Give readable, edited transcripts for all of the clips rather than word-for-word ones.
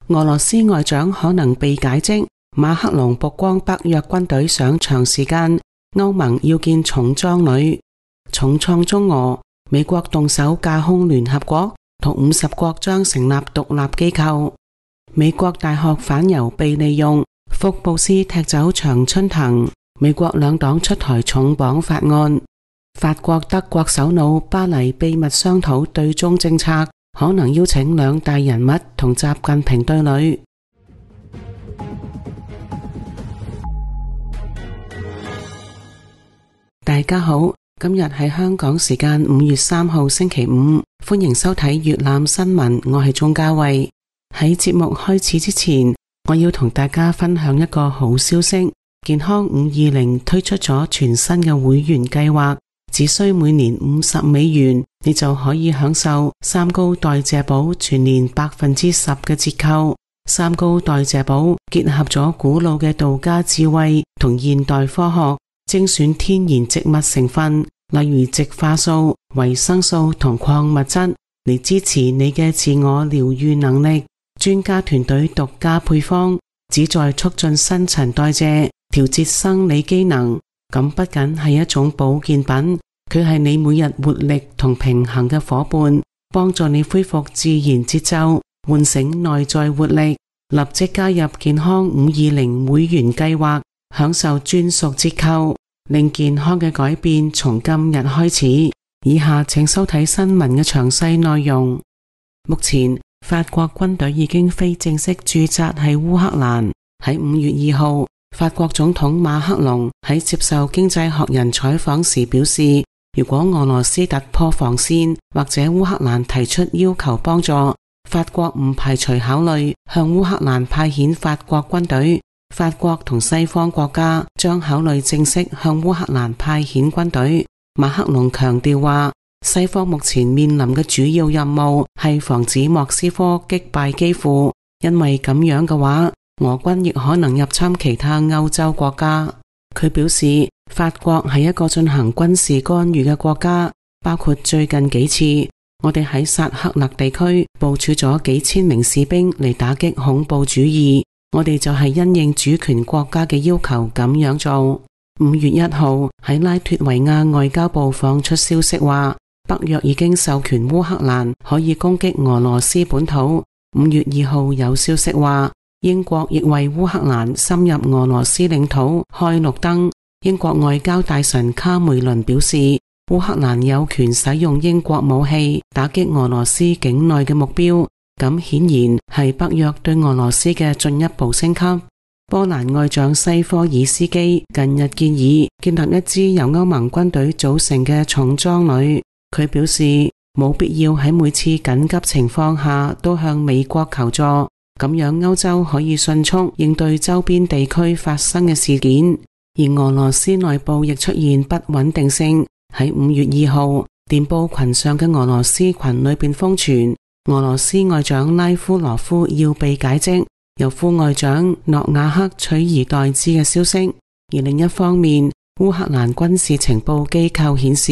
俄羅斯外長可能被解職，馬克龍曝光北約軍隊想長時間，歐盟要建重裝旅，重創中俄，美國動手架空聯合國，同50國將成立獨立機構。美國大學反猶被利用，福布斯踢走長春藤，美國兩黨出台重綁法案。法國德國首腦巴黎秘密商討對中政策，可能邀請兩大人物同習近平對壘。大家好，今日係香港時間5月3號星期五，歡迎收睇粵覽新聞，我係鍾嘉慧。喺節目開始之前，我要同大家分享一個好消息，健康520推出咗全新嘅會員計劃，只需每年$50，你就可以享受三高代謝寶全年10%嘅折扣。三高代謝寶結合咗古老嘅道家智慧同現代科學，精選天然植物成分，例如植化素、維生素同礦物質，嚟支持你嘅自我療癒能力。專家團隊獨家配方，旨在促進新陳代謝，調節生理機能。咁不僅係一種保健品，佢係你每日活力同平衡嘅夥伴，幫助你恢復自然節奏，喚醒內在活力。立即加入健康520會員計劃，享受專屬折扣，令健康嘅改變從今日開始。以下請收睇新聞嘅詳細內容。目前法國軍隊已經非正式駐紮喺烏克蘭。喺5月2號，法國總統馬克龍喺接受經濟學人採訪時表示，如果俄羅斯突破防線或者烏克蘭提出要求幫助，法國唔排除考慮向烏克蘭派遣法國軍隊。法國同西方國家將考慮正式向烏克蘭派遣軍隊。馬克龍強調話，西方目前面臨嘅主要任務係防止莫斯科擊敗基輔，因為咁樣嘅話，俄軍亦可能入侵其他歐洲國家。佢表示，法國係一個進行軍事干預嘅國家，包括最近幾次，我哋喺薩克勒地區部署咗幾千名士兵嚟打擊恐怖主義，我哋就係因應主權國家嘅要求咁樣做。5月1號喺拉脫維亞外交部放出消息話，北約已經授權烏克蘭可以攻擊俄羅斯本土。5月2號有消息話，英國亦為烏克蘭深入俄羅斯領土開綠燈。英國外交大臣卡梅倫表示，烏克蘭有權使用英國武器打擊俄羅斯境內嘅目標，咁顯然係北約對俄羅斯嘅進一步升級。波蘭外長西科爾斯基近日建議建立一支由歐盟軍隊組成嘅重裝旅。佢表示，冇必要喺每次緊急情況下都向美國求助，咁樣歐洲可以迅速應對周邊地區發生嘅事件。而俄羅斯內部亦出現不穩定性。喺5月2號，電報群上嘅俄羅斯群裏邊瘋傳，俄羅斯外長拉夫羅夫要被解職，由副外長諾瓦克取而代之嘅消息。而另一方面，烏克蘭軍事情報機構顯示，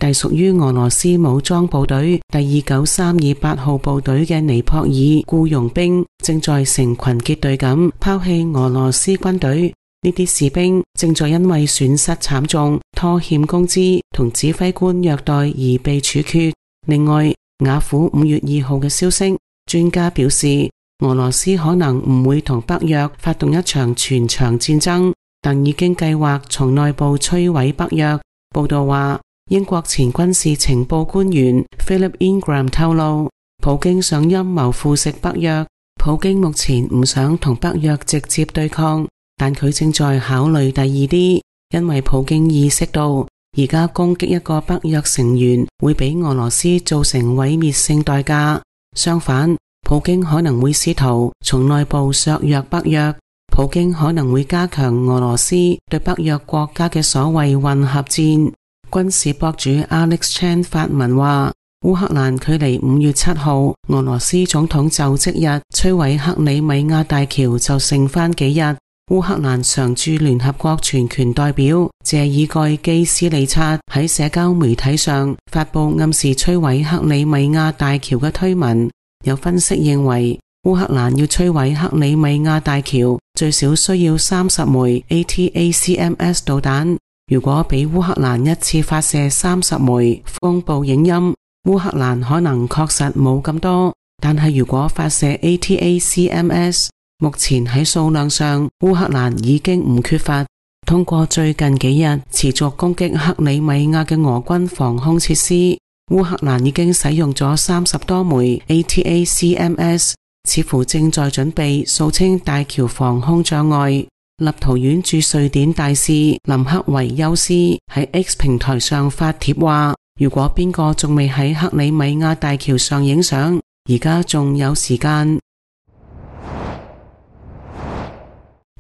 隸屬於俄羅斯武裝部隊第29328號部隊嘅尼泊爾僱傭兵正在成群結隊咁拋棄俄羅斯軍隊。呢啲士兵正在因為損失慘重、拖欠工資同指揮官虐待而被處決。另外，雅虎5月2號嘅消息，專家表示，俄羅斯可能唔會同北約發動一場全場戰爭，但已經計劃從內部摧毀北約。報道話，英國前軍事情報官員 Philip Ingram 透露，普京想陰謀腐蝕北約。普京目前唔想同北約直接對抗，但佢正在考慮第二啲，因為普京意識到而家攻擊一個北約成員會俾俄羅斯造成毀滅性代價。相反，普京可能會試圖從內部削弱北約。普京可能會加強俄羅斯對北約國家嘅所謂混合戰。軍事博主 Alex Chan 發文話，烏克蘭距離5月7號俄羅斯總統就職日摧毀克里米亞大橋就剩返幾日。烏克蘭常駐聯合國全權代表謝爾蓋基斯利察喺社交媒體上發佈暗示摧毀克里米亞大橋嘅推文。有分析認為，烏克蘭要摧毀克里米亞大橋，最少需要30枚 ATACMS 導彈。如果俾烏克蘭一次發射30枚，公布影音，烏克蘭可能確實冇咁多，但係如果發射 ATACMS， 目前喺數量上烏克蘭已經唔缺乏。通過最近幾日持續攻擊克里米亞嘅俄軍防空設施，烏克蘭已經使用咗30多枚 ATACMS， 似乎正在準備掃清大橋防空障礙。立陶宛駐瑞典大使林克維休斯喺 X 平台上發帖話，如果邊個仲未喺克里米亞大橋上影相，而家仲有時間。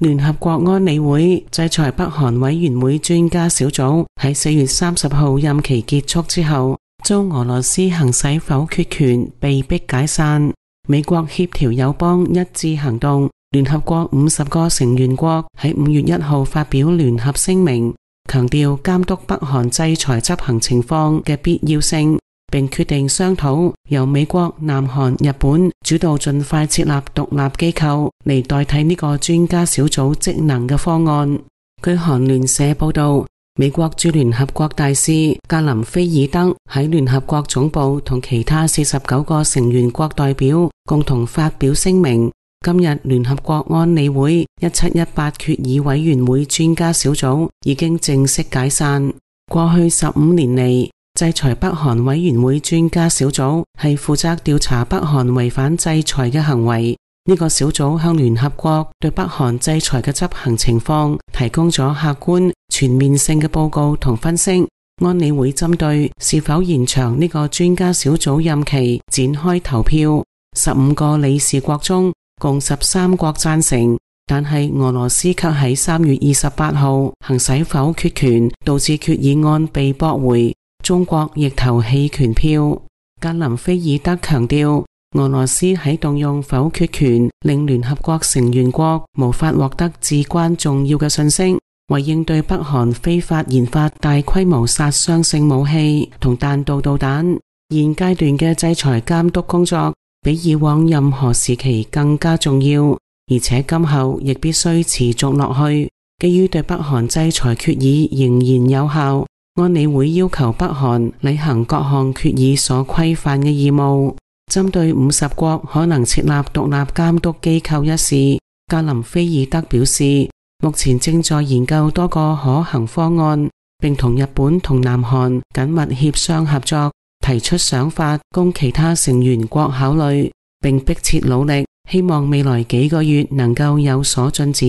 聯合國安理會制裁北韓委員會專家小組喺4月30號任期結束之後，遭俄羅斯行使否決權，被迫解散。美國協調友邦一致行動聯合國50個成員國喺5月1號發表聯合聲明，強調監督北韓制裁執行情況嘅必要性，並決定商討由美國、南韓、日本主導盡快設立獨立機構嚟代替呢個專家小組職能嘅方案。據韓聯社報道，美國駐聯合國大使格林菲爾德喺聯合國總部同其他49個成員國代表共同發表聲明，今日聯合國安理會1718決議委員會專家小組已經正式解散。過去15年嚟，制裁北韓委員會專家小組係負責調查北韓違反制裁嘅行為。呢個小組向聯合國對北韓制裁嘅執行情況提供咗客觀全面性嘅報告同分析。安理會針對是否延長呢個專家小組任期展開投票，15個理事國中共13國贊成，但係俄羅斯卻喺3月28號行使否決權，導致決議案被駁回。中國亦投棄權票。格林菲爾德強調，俄羅斯喺動用否決權，令聯合國成員國無法獲得至關重要嘅信息，為應對北韓非法研發大規模殺傷性武器同彈道導彈，現階段嘅制裁監督工作比以往任何時期更加重要，而且今後亦必須持續落去。基於對北韓制裁決議仍然有效，安理會要求北韓履行各項決議所規範嘅義務。針對50國可能設立獨立監督機構一事，格林菲爾德表示，目前正在研究多個可行方案，並同日本同南韓緊密協商合作，提出想法供其他成員國考慮，並迫切努力，希望未來幾個月能夠有所進展。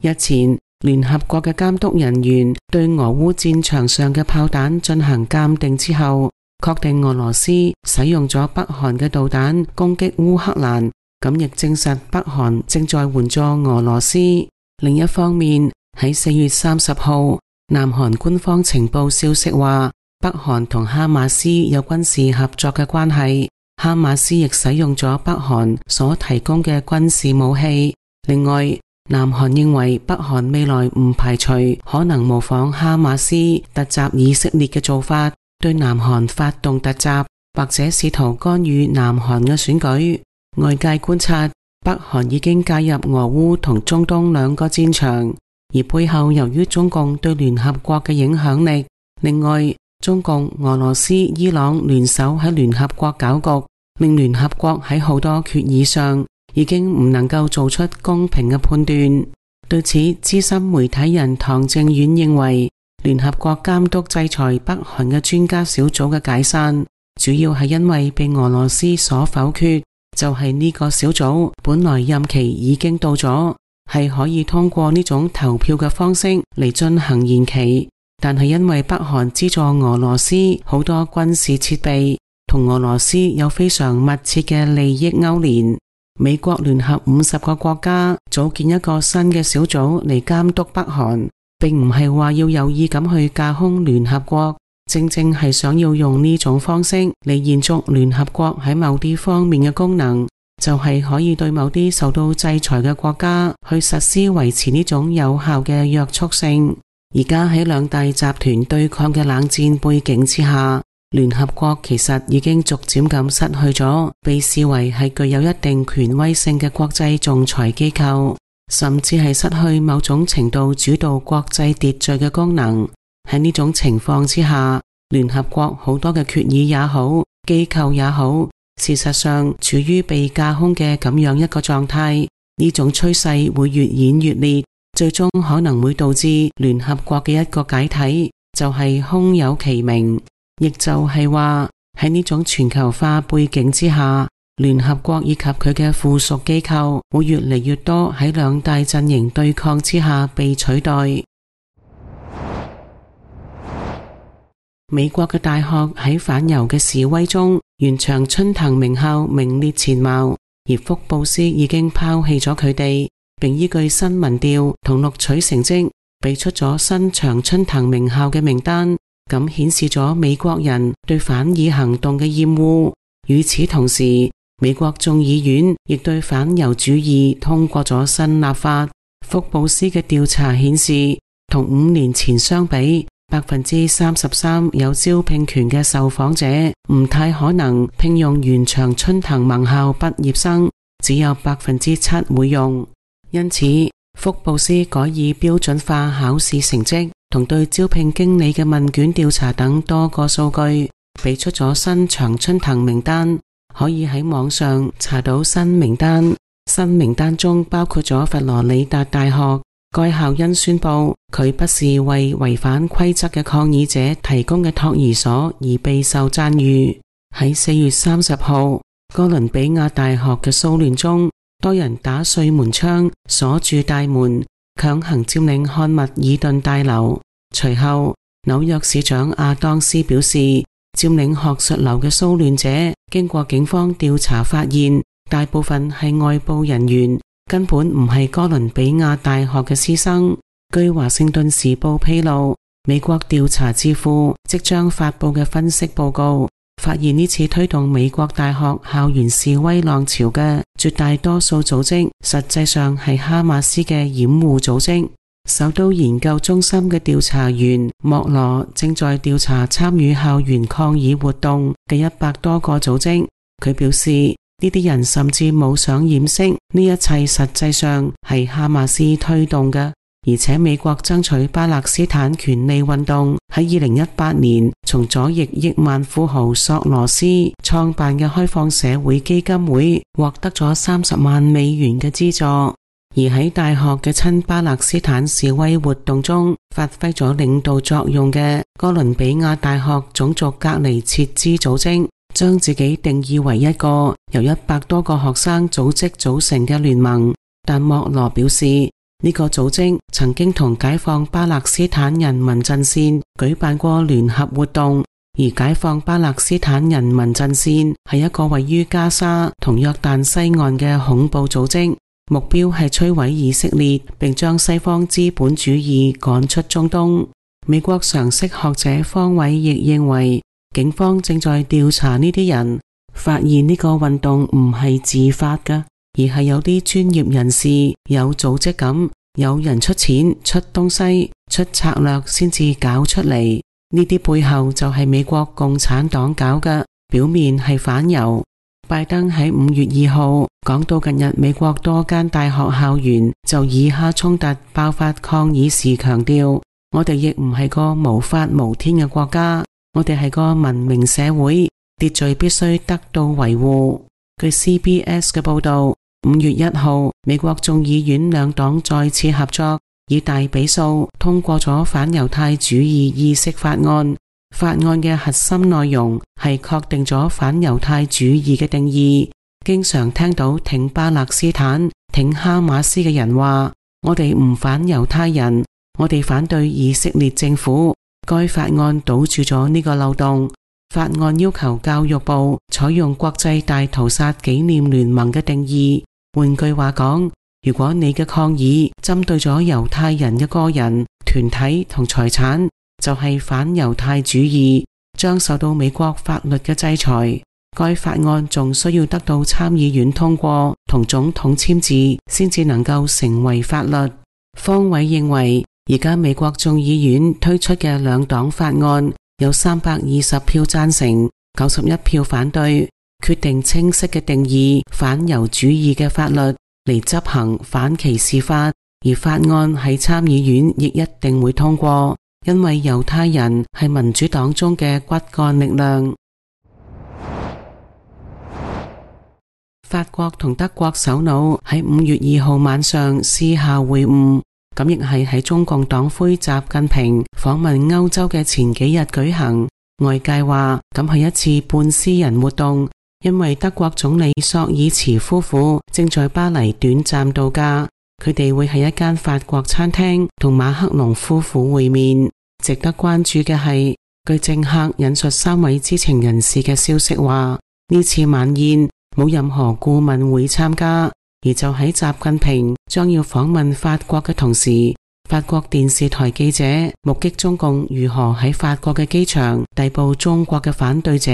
日前，聯合國嘅監督人員對俄烏戰場上嘅炮彈進行鑑定之後，確定俄羅斯使用咗北韓嘅導彈攻擊烏克蘭，咁亦證實北韓正在援助俄羅斯。另一方面，喺4月30號，南韓官方情報消息話，北韓同哈馬斯有軍事合作嘅關係，哈馬斯亦使用咗北韓所提供嘅軍事武器。另外，南韓認為北韓未來唔排除可能模仿哈馬斯突襲以色列嘅做法，對南韓發動突襲，或者試圖干預南韓嘅選舉。外界觀察，北韓已經介入俄烏同中東兩個戰場，而背後由於中共對聯合國嘅影響力。另外，中共、俄羅斯、伊朗聯手喺聯合國搞局，令聯合國喺好多決議上已經唔能夠做出公平嘅判斷。對此，資深媒體人唐正遠認為，聯合國監督制裁北韓嘅專家小組嘅解散，主要係因為被俄羅斯所否決。就係呢個小組本來任期已經到咗，係可以通過呢種投票嘅方式嚟進行延期，但係因為北韓資助俄羅斯好多軍事設備，同俄羅斯有非常密切嘅利益勾連，美國聯合50個國家組建一個新嘅小組嚟監督北韓，並唔係話要有意咁去架空聯合國，正正係想要用呢種方式嚟延續聯合國喺某啲方面嘅功能，就係可以對某啲受到制裁嘅國家去實施維持呢種有效嘅約束性。而家喺兩大集團對抗嘅冷戰背景之下，聯合國其實已經逐漸咁失去咗被視為係具有一定權威性嘅國際仲裁機構，甚至係失去某種程度主導國際秩序嘅功能。喺呢種情況之下，聯合國好多嘅決議也好，機構也好，事實上處於被架空嘅咁樣一個狀態。呢種趨勢會越演越烈，最終可能會導致聯合國嘅一個解體，就係空有其名。亦就係話，喺呢種全球化背景之下，聯合國以及佢嘅附屬機構會越嚟越多喺兩大陣營對抗之下被取代。美國嘅大學喺反猶嘅示威中，原長春藤名校名列前茅，而福布斯已經拋棄咗佢哋，並依據新民調同錄取成績，俾出咗新長春藤名校嘅名單。咁顯示咗美國人對反以行動嘅厭惡。與此同時，美國眾議院亦對反猶主義通過咗新立法。福布斯嘅調查顯示，同5年前相比，33%有招聘權嘅受訪者唔太可能聘用原長春藤盟校畢業生，只有7%會用。因此，福布斯改以標準化考試成績同對招聘經理嘅問卷調查等多個數據，俾出咗新長春藤名單，可以喺網上查到新名單。新名單中包括咗佛羅里達大學，該校因宣布佢不是為違反規則嘅抗議者提供嘅托兒所而備受讚譽。喺4月30號，哥倫比亞大學嘅騷亂中，多人打碎門窗，鎖住大門，強行佔領漢密爾頓大樓。隨後，紐約市長亞當斯表示，佔領學術樓嘅騷亂者經過警方調查發現，大部分係外部人員，根本唔係哥倫比亞大學嘅師生。據華盛頓時報披露，美國調查智庫即將發佈嘅分析報告發現，呢次推動美國大學校園示威浪潮嘅絕大多數組織，實際上係哈馬斯嘅掩護組織。首都研究中心嘅調查員莫羅正在調查參與校園抗議活動嘅100多個組織。佢表示，呢啲人甚至冇想掩飾呢一切實際上係哈馬斯推動嘅。而且美國爭取巴勒斯坦權利運動喺2018年從左翼億萬富豪索羅斯創辦嘅開放社會基金會獲得咗30萬美元嘅資助。而喺大學嘅親巴勒斯坦示威活動中發揮咗領導作用嘅哥倫比亞大學種族隔離撤資組織，將自己定義為一個由100多個學生組織組成嘅聯盟。但莫羅表示，呢個組織曾經同解放巴勒斯坦人民陣線舉辦過聯合活動，而解放巴勒斯坦人民陣線係一個位於加沙同約旦西岸嘅恐怖組織，目標係摧毀以色列，並將西方資本主義趕出中東。美國常識學者方偉亦認為，警方正在調查呢啲人，發現呢個運動唔係自發㗎，而係有啲專業人士有組織咁，有人出錢、出東西、出策略先至搞出嚟。呢啲背後就係美國共產黨搞嘅，表面係反猶。拜登喺5月2號講到，近日美國多間大學校園就以哈衝突爆發抗議時強調，我哋亦唔係個無法無天嘅國家，我哋係個文明社會，秩序必須得到維護。據 CBS 嘅報道，5月1號美國眾議院兩黨再次合作，以大比數通過咗反猶太主義意識法案。法案嘅核心內容係確定咗反猶太主義嘅定義。經常聽到挺巴勒斯坦、挺哈馬斯嘅人話，我哋唔反猶太人，我哋反對以色列政府。該法案堵住咗呢個漏洞。法案要求教育部採用國際大屠殺紀念聯盟嘅定義。換句話講，如果你嘅抗議針對咗猶太人嘅個人、團體同財產，就係反猶太主義，將受到美國法律嘅制裁。該法案仲需要得到參議院通過同總統簽字，先至能夠成為法律。方偉認為，而家美國眾議院推出嘅兩黨法案有320票贊成，91票反對，決定清晰嘅定義反猶主義嘅法律嚟執行反歧視法，而法案喺參議院亦一定會通過，因為猶太人係民主黨中嘅骨幹力量。法國同德國首腦喺5月2號晚上私下會晤，咁亦係喺中共黨魁習近平訪問歐洲嘅前幾日舉行。外界話咁係一次半私人活動，因為德國總理朔爾茨夫婦正在巴黎短暫度假，佢哋會喺一間法國餐廳同馬克龍夫婦會面。值得關注嘅係，據政客引述3位知情人士嘅消息話，呢次晚宴冇任何顧問會參加，而就喺習近平將要訪問法國嘅同時，法國電視台記者目擊中共如何喺法國嘅機場逮捕中國嘅反對者。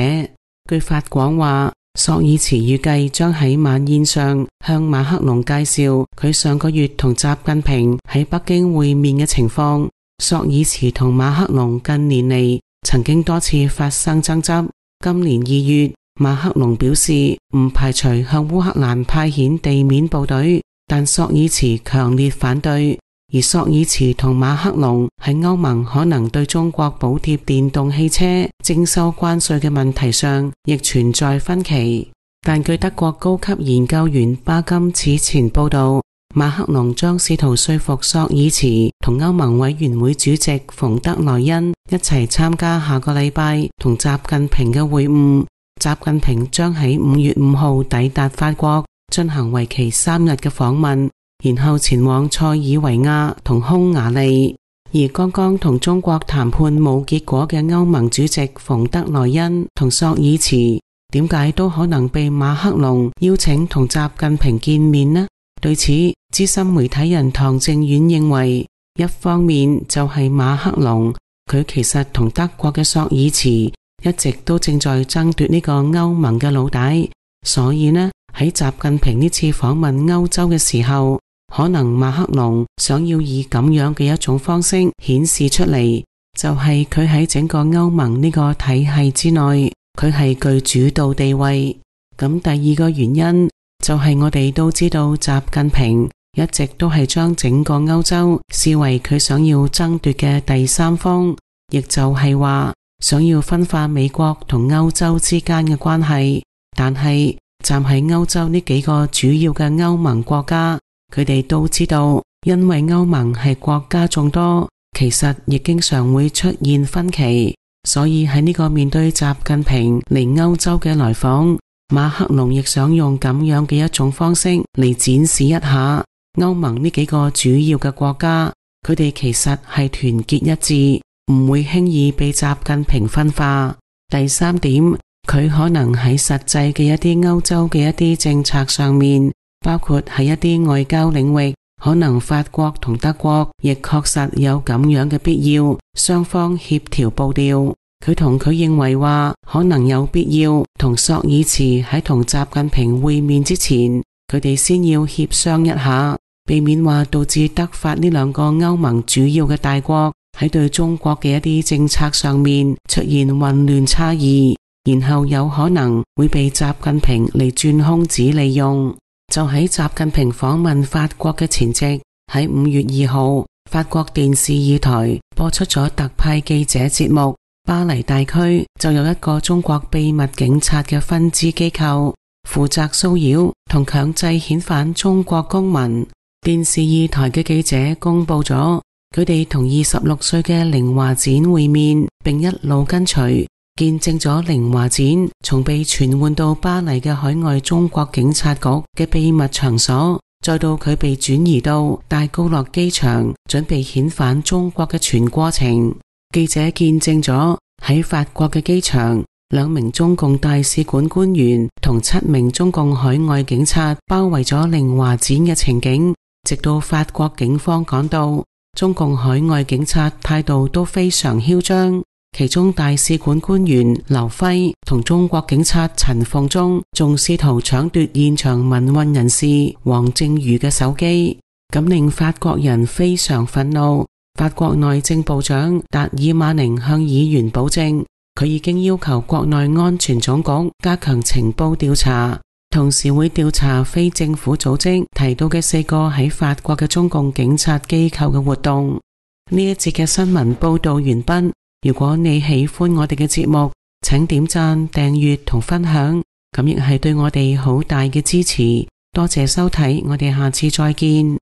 據法廣話，朔爾茨預計將喺晚宴上向馬克龍介紹佢上個月同習近平喺北京會面嘅情況。朔爾茨同馬克龍近年嚟曾經多次發生爭執。今年2月，馬克龍表示唔排除向烏克蘭派遣地面部隊，但朔爾茨強烈反對。而朔爾茨同馬克龍喺歐盟可能對中國補貼電動汽車徵收關稅嘅問題上亦存在分歧。但據德國高級研究員巴金此前報道，馬克龍將試圖說服朔爾茨同歐盟委員會主席馮德萊恩一齊參加下個禮拜同習近平嘅會晤。習近平將喺5月5號抵達法國，進行為期3日嘅訪問，然後前往塞爾維亞同匈牙利。而剛剛同中國談判冇結果嘅歐盟主席馮德萊恩同朔爾茨，點解都可能被馬克龍邀請同習近平見面呢？對此，資深媒體人唐正遠認為，一方面就係馬克龍，佢其實同德國嘅朔爾茨一直都正在爭奪呢個歐盟嘅老大，所以呢，喺習近平呢次訪問歐洲嘅時候，可能馬克龍想要以咁樣嘅一種方式顯示出嚟，就係佢喺整個歐盟呢個體系之內，佢係具主導地位。咁第二個原因就係我哋都知道習近平一直都係將整個歐洲視為佢想要爭奪嘅第三方，亦就係話想要分化美國同歐洲之間嘅關係。但係站喺歐洲呢幾個主要嘅歐盟國家，佢哋都知道，因為歐盟係國家眾多，其實亦經常會出現分歧，所以喺呢個面對習近平嚟歐洲嘅來訪，馬克龍亦想用咁樣嘅一種方式嚟展示一下歐盟呢幾個主要嘅國家，佢哋其實係團結一致，唔會輕易被習近平分化。第三點，佢可能喺實際嘅一啲歐洲嘅一啲政策上面，包括喺一啲外交領域，可能法國同德國亦確實有咁樣嘅必要，雙方協調步調。佢同佢認為話，可能有必要同朔爾茨喺同習近平會面之前，佢哋先要協商一下，避免話導致德法呢兩個歐盟主要嘅大國喺對中國嘅一啲政策上面出現混亂差異，然後有可能會被習近平嚟鑽空子利用。就喺習近平訪問法國嘅前夕，喺5月2號，法國電視2台播出咗特派記者節目。巴黎大區就有一個中國秘密警察嘅分支機構，負責騷擾同強制遣返中國公民。電視2台嘅記者公布咗，佢哋同26歲嘅寧華展會面，並一路跟隨，見證咗寧華展從被傳喚到巴黎嘅海外中國警察局嘅秘密場所，再到佢被轉移到戴高樂機場，準備遣返中國嘅全過程。記者見證咗喺法國嘅機場，2名中共大使館官員同7名中共海外警察包圍咗寧華展嘅情景，直到法國警方趕到，中共海外警察態度都非常囂張。其中大使館官員劉輝同中國警察陳鳳忠仲試圖搶奪現場民運人士黃正瑜嘅手機，咁令法國人非常憤怒。法國內政部長達爾馬寧向議員保證，佢已經要求國內安全總局加強情報調查，同時會調查非政府組織提到嘅4個喺法國嘅中共警察機構嘅活動。呢一節嘅新聞報道完畢。如果你喜歡我哋嘅節目，請點讚、訂閱同分享，咁亦係對我哋好大嘅支持。多謝收睇，我哋下次再見。